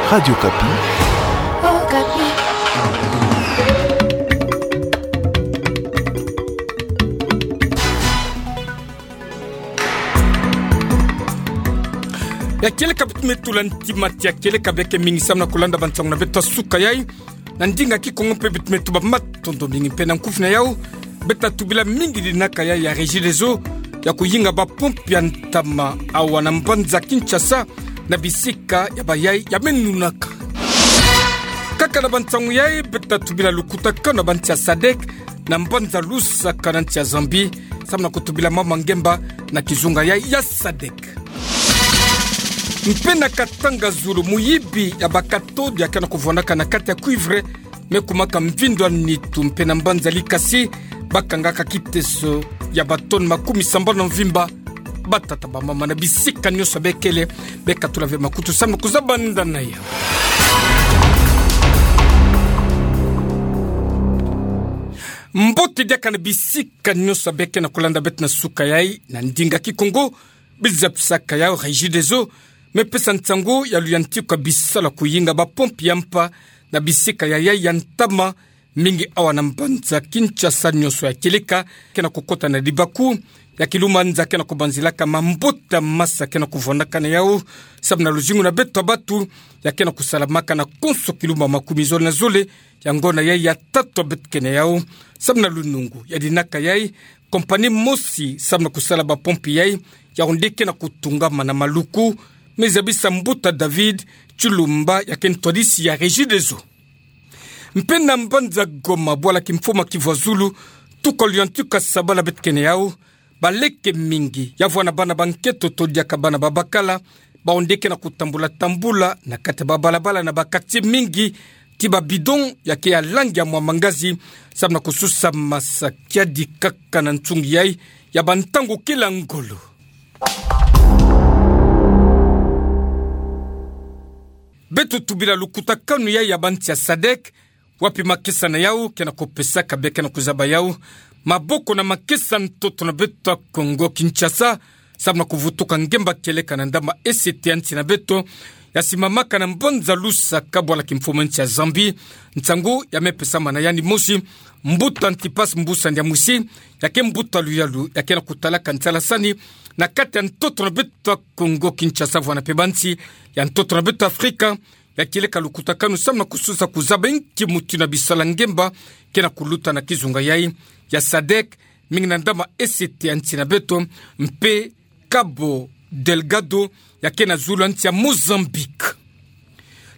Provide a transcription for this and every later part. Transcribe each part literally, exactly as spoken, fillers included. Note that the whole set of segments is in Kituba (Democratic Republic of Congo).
Radio Okapi. Okapi. Ya kieleka bit me tula ntima tia kieleka beke mingi samu na kulanda bansangu na beto ya suka yai. Na ndinga kikongo mpe bit me tuba matondo mingi mpe na nkufi na yau. Beta tubila mingi dinaka yai ya Regideso ya kuyinga bapompe ya ntama awa na mbanza Kinshasa na bisika ya bayai ya menunaka. Kaka na bansangu yai beta tubila lukutakanu na bansi ya sadek na mbanza Lusaka na nsi ya Zambie, samu na kutubila mama ngemba na kizunga yai ya sadek. Mpe na Katanga zulu, muyibi ya bakathode ya ke na kuvwandaka na kati ya cuivre me kumaka mvindo ya nitu mpe na mbanza Likasi, bakangaka kiteso ya batone makumi sambanu na mvimba. Batata, bamama na bisika nyonso bekele, bekatula ve makutu samu na kuzaba nda na yau. Mbote diaka na bisika nyonso beke na kulanda beto na suka yai, na ndinga kikongo, biza pisaka yau Regideso me pesa nsangu ya luyantika bisalu ya kuyinga bapompe ya mpa na bisika ya yai ya ntama mingi awa na mbanza Kinshasa nyonso ya kieleka, ke na kukota na dibaku ya kilumanza ke na kubanzilaka mambota masa ke na kuvwandaka na yau, samu na luzingu na beto ya batu ya ke na kusalamaka na konso kilumba makumi zole na zole ya ngonda yai ya tatu ya beto ke na yau. Samu na lunungu ya dinaka yai, compagnie mosi samu na kusala bapompe yai ya onde ke na kutungama na Maluku, me zabisa mbuta David Tshilumba ya ke ntwadisi ya Regideso. Mpe na mbanza Goma, bwala kimfuma kivwa zulu, tuka luyantika sabala beto ke na yau, baleke mingi ya vwa na bana ba nketo to diaka bana ba bakala, baonde ke na kutambula tambula na kati ya babalabala na ba quartier mingi, ti ba bidon ya ke ya langi ya mwamba ngazi, samu na kususa masa kiadi kaka na nsungi yai ya bantangu kila ngolo. Beto tubila lukutakanu yai ya bansi ya sadek, wapi makesa na yau ke na kupesaka beke na kuzaba yau maboko na makesa ntoto na beto ya Kongo Kinshasa, samu na kuvutuka ngemba kieleka na ndama esete ya nsi na beto, ya simamaka na mbanza Lusaka, bwala kimfuma nsi ya Zambie. Nsangu ya me pesama na yandi mosi, mbuta Antipas Mbusa Ndiamwisi, ya ke mbuta luyalu ya ke na kutalaka nsalasani na kati ya ntoto na beto ya Kongo Kinshasa, vwa na mpe bansi ya ntoto na beto Afrika, ya kieleka lukutakanu samu na kususa kuzaba inki mutindu na bisalu ya ngemba ke na kuluta na kizunga yai ya sadek, mingi na ndama esete ya nsi na beto, mpe Cabo Delgado ya ke na zulu ya nsi ya Mozambique.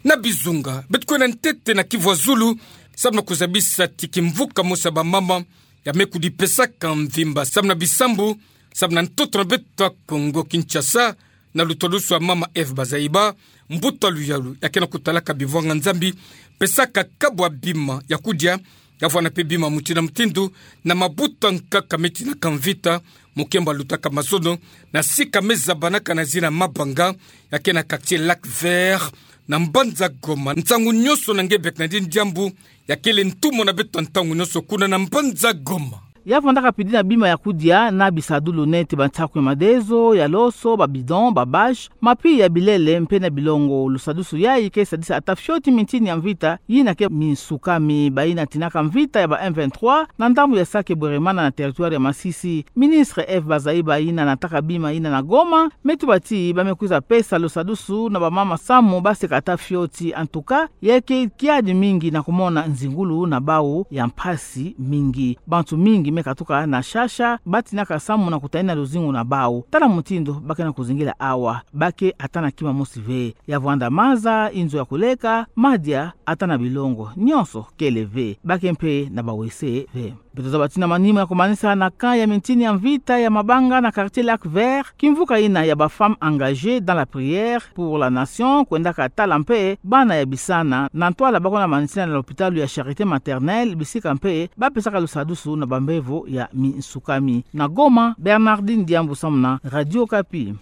Na bizunga, beto kwenda ntete na kivwa zulu, samu na kuzabisa ti kimvuka mosi ya bamama ya me kudipesaka mvimba samu na bisambu, samu na ntoto na beto ya Kongo Kinshasa, na lutwadusu ya mama Eve Bazaiba, mbuta luyalu ya ke na kutalaka bivwanga Nzambi, pesaka kabu ya bima ya kudia, ya vwa na mpe bima mutindu na mutindu, na mabuta nkaka me tinaka mvita, mu kemba lutaka mazono, na sika me zabanaka na zina Mabanga, ya ke na quartier Lac Vert, na mbanza Goma. Nsangu nyonso na nge beke na dini diambu, ya kele ntumwa na beto ya ntangu nyonso kuna na mbanza Goma. Ya vwandaka pidi na bima ya kudia na bisadulu neti bansakwe madezo, ya loso, ba bidon, ba bâche, mapi ya bilele mpe na bilongo. Lusadusu yai ke sadisa ata fioti mintini ya mvita yina ke minsukami. Bayina tinaka mvita ya ba M vingt-trois na ndambu ya Sake Bweremana na territoire ya Masisi. Ministre Eve Bazaiba yina nataka bima yina na Goma, me tuba ti ba me kwiza pesa lusadusu na bamama samu ba seka ata fioti. En tout cas, ya ke kiadi mingi na kumona nzingulu na bawu ya mpasi mingi. Bantu mingi me katuka na shasha, ba tinaka samu na kutalina luzingu na bawu. Tala mutindu ba ke na kuzingila awa, ba ke ata na kima mosi ve. Ya vwanda maza, inzo ya kuleka, madia, ata na bilongo, nyonso kele ve. Ba ke mpe na bawese ve. Beto zaba ti na manima ya kumanisa na camp ya mintini ya mvita ya Mabanga na quartier Lac Vert, kimvuka yina ya ba Femmes engagées dans la prière pour la nation kwendaka tala mpe bana ya bisana. Na ntwala ba kwenda manisina na lopitalu ya Charité Maternelle, bisika mpe ba pesaka lusadusu na bambevo ya minsukami. Na Goma, Bernardine Diambu samu na Radio Okapi.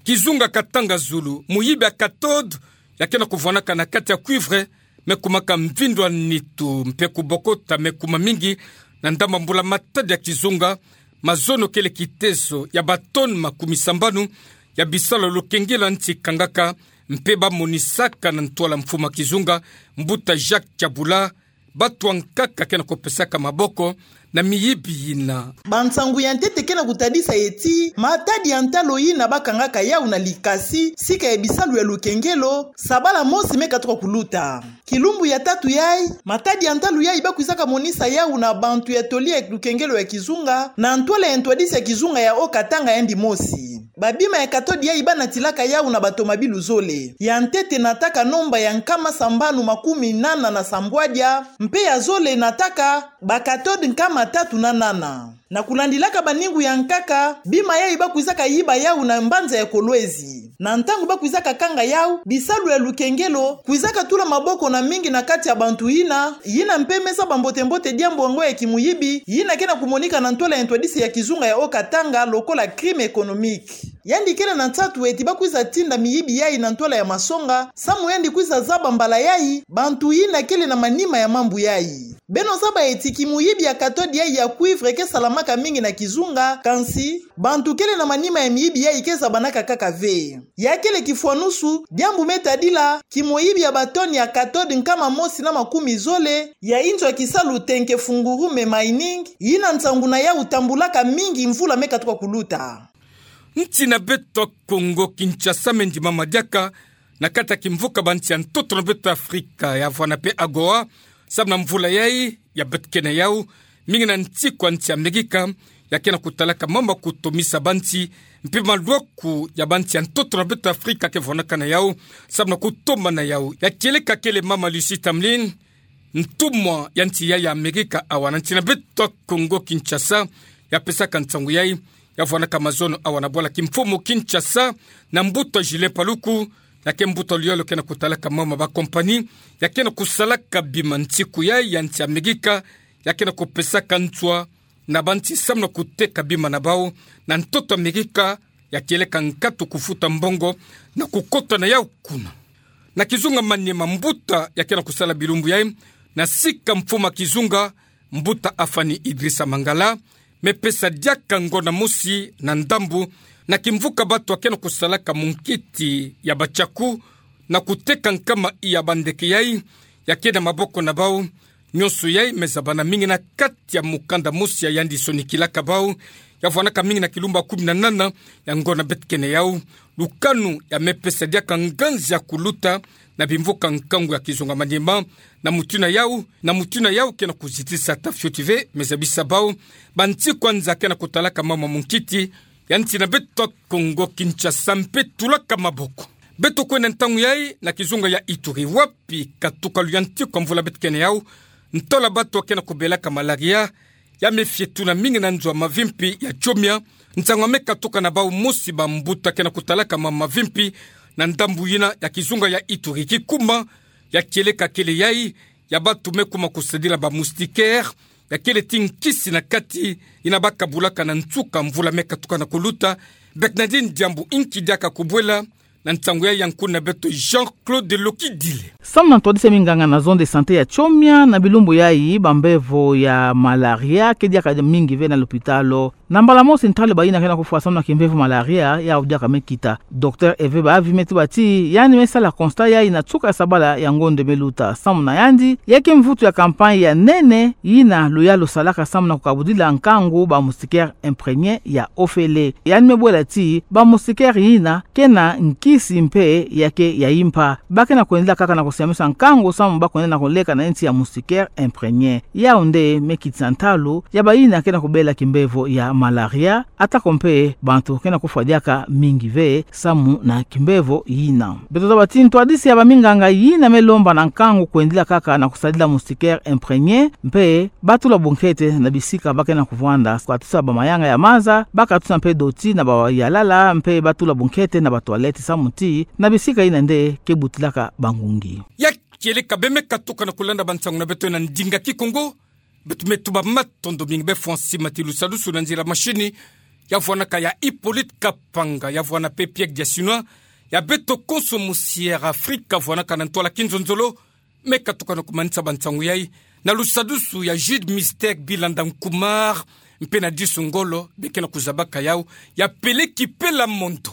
Kizunga Katanga Zulu, muyibi ya cathode ya ke na kuvwanaka na kati ya cuivre me kumaka mvindo ya nitu mpe kubokota me kuma mingi na ndambu ya mbula matadi ya kizunga. Mazono kele kiteso ya ba tonnes makumi sambanu ya bisalu ya lukengelo ya nti kangaka, mpe bamonisaka na ntwala mfumu a kizunga, Mbuta Jacques Kyabula, bato ankaka ke na kupesaka maboko na miyibi yina. Bansangu ya ntete ke na kutadisa ye ti, matadi ya ntalo yina bakangaka yau na likasi, sika ya bisalu ya lukengelo, sabala mosi me katuka kuluta. Kilumbu ya tatu yai, matadi ya ntalu yai bakwizaka monisa yau na bantu ya toli ya lukengelo ya kizunga, na ntwala ya ntwadisi ya kizunga ya Haut-Katanga yandi mosi. Babima ya cathode yai banatilaka yau na batomabilu zole. Ya ntete nataka nomba ya nkama sambanu makumi nana na sambwadia, mpe ya zole nataka ba cathode nkama tatu na nana. Na kulandilaka baningu ya nkaka, bima yai bakwizaka yiba yau na mbanza ya Kolwezi. Na ntangu bakwizaka kanga yau, bisalu ya lukengelo kwizaka tula maboko na mingi na kati ya bantu yina, yina mpe me zaba mbote-mbote diambu yango ya kimuyibi, yina ke na kumonika na ntwala ya ntwadisi ya kizunga ya Haut-Katanga lokola crime économique. Yandi kele na nsatu eti bakwiza tinda miyibi yai na ntwala ya masonga, samu yandi kwiza zaba mbala yai bantu yina kele na manima ya mambu yai. Beno zaba eti kimuyibi ya cathode yai ya cuivre ke salamaka mingi na kizunga, kansi bantu kele na manima ya miyibi yai ke zabanaka kaka ve. Ya kele kifwanusu, diambu me tadila, kimoyibi ya batoni ya cathode nkama mosi na makumi zole, ya inzo ya kisalu Tenke Fungurume Mining, yina nsangu na yau tambulaka mingi mvula me katuka kuluta. Nti na beto Kongo Kinshasa me ndimama diaka na kati ya kimvuka banti ya ntoto na beto Afrika ya vwana pe AGOA, samu na mvula yai ya beto kena yau, mingi na ntiku ya nti Amerika ya ke na kutalaka mama kutomisa banti, mpe malwaku ya banti ya ntoto na beto Afrika ke vwanaka na yau, samu na kutomana yau. Ya kieleka kele mama Lucie Tamlyn, ntumwa ya nti yai ya Amerika awa na nti na beto Kongo Kinshasa, ya pesaka nsangu yai, ya vwanaka mazono awa na bwala kimfumu Kinshasa, na mbuta Julien Paluku, ya ke mbuta luyalu ke na kutalaka mama ba compagnie ya ke na kusalaka bima ntiku yai ya nti Amerika, ya ke na kupesaka nswa na banti samu na kuteka bima na bau na ntoto Amerika, ya kieleka nkatu kufuta mbongo na kukota na yau kuna. Na kizunga Maniema, mbuta ya ke na kusala bilumbu yai na sika mfumu a kizunga, mbuta Afani Idrissa Mangala, me pesa diaka ngonda mosi na ndambu na kimvuka bato ya ke na kusalaka munkiti ya ba tiaku na kuteka nkama ya bandeke yai ya ke na maboko na bau. Nyonso yai me zabana mingi na kati ya mukanda mosi ya yandi sonikilaka bau, ya vwanaka mingi na kilumbu ya kumi na nana ya ngonda beto kena yau. Lukanu ya me pesa diaka nganzi ya kuluta na bimvuka nkangu ya kizunga Maniema, na mutindu yau, na mutindu yau ke na kuzitisa ata fioti ve, me zabisa bau ba ntiku ya nza ke na kutalaka mama munkiti ya nti na beto Kongo Kinshasa mpe tulaka maboko. Beto kwenda ntangu yai na kizunga ya Ituri, wapi katuka luyantiku ya mvula beto kena yau, ntola bato ya ke na kubelaka malaria ya me fietuna mingi na nzo ya mavimpi ya Tchomia. Nsangu ya me katuka na bau mosi bambuta ke na kutalaka mama mavimpi na ndambu yina ya kizunga ya Ituri. Kikuma ya kieleka kele yai ya bato me kuma kusadila ba moustiquaire, ya kele ti nkisi na kati yina ba kabulaka na nsuka mvula me katuka na kuluta. Bernardine Diambu, inki diaka kubwela na nsangu yai ya nkuna beto Jean-Claude Lokidile. Samu na ntwadisi ya minganga na zone de santé ya Tchomia, na bilumbu yai bambevo ya malaria ke diaka mingi ve na lopitalo. Na mbala mosi ntalu bayina ke na kufwa samu na kimbevo malaria yau diaka me kita. Docteur Hervé Bahavi me tuba ti yandi me sala constat yai na nsuka ya sabala ya ngonde me luta. Samu na yandi, ya ke mvutu ya campagne ya nene yina luyalu salaka samu na kukabudila nkangu ba moustiquaire imprégné ya ofele. Yandi me bwela ti ba moustiquaire yina ke na nkisi mpe ya ke ya impa. Ba ke na kwendela kaka na kusiamisa nkangu samu ba kwenda na kuleka na nti ya moustiquaire imprégné. Yau nde me kitisa ntalu ya bayina ke na kubela kimbevo ya malaria, atako mpe bantu ke na kufwa diaka mingi ve samu na kimbevo yina. Beto zaba ti ntwadisi ya baminganga yina me lomba na nkangu kwendela kaka na kusadila moustiquaire imprégné, mpe ba tula bunkete na bisika ba ke na kuvwanda, katusa ba mayanga ya maza, ba katusa mpe doti na ba yalala, mpe ba tula bunkete na ba toilette samu ti na bisika yina nde ke butilaka bangungi. Ya kieleka beno me katuka na kulanda bansangu na beto na ndinga Kikongo, beto me tuba matondo mingi. Beno fwa nsi mati lusadusu na nzila machine ya vwanaka ya Hippolyte Kapanga, ya vwana mpe Pierre Diasinois, ya beto konso musi Air Afrique vwanaka na ntwala kinzonzolo, me katuka na kumanisa bansangu yai na lusadusu ya Jude Mystère Bilanda Nkumar, mpe na disu ngolo be ke na kuzabaka yau, ya Peleki Pela Mondo.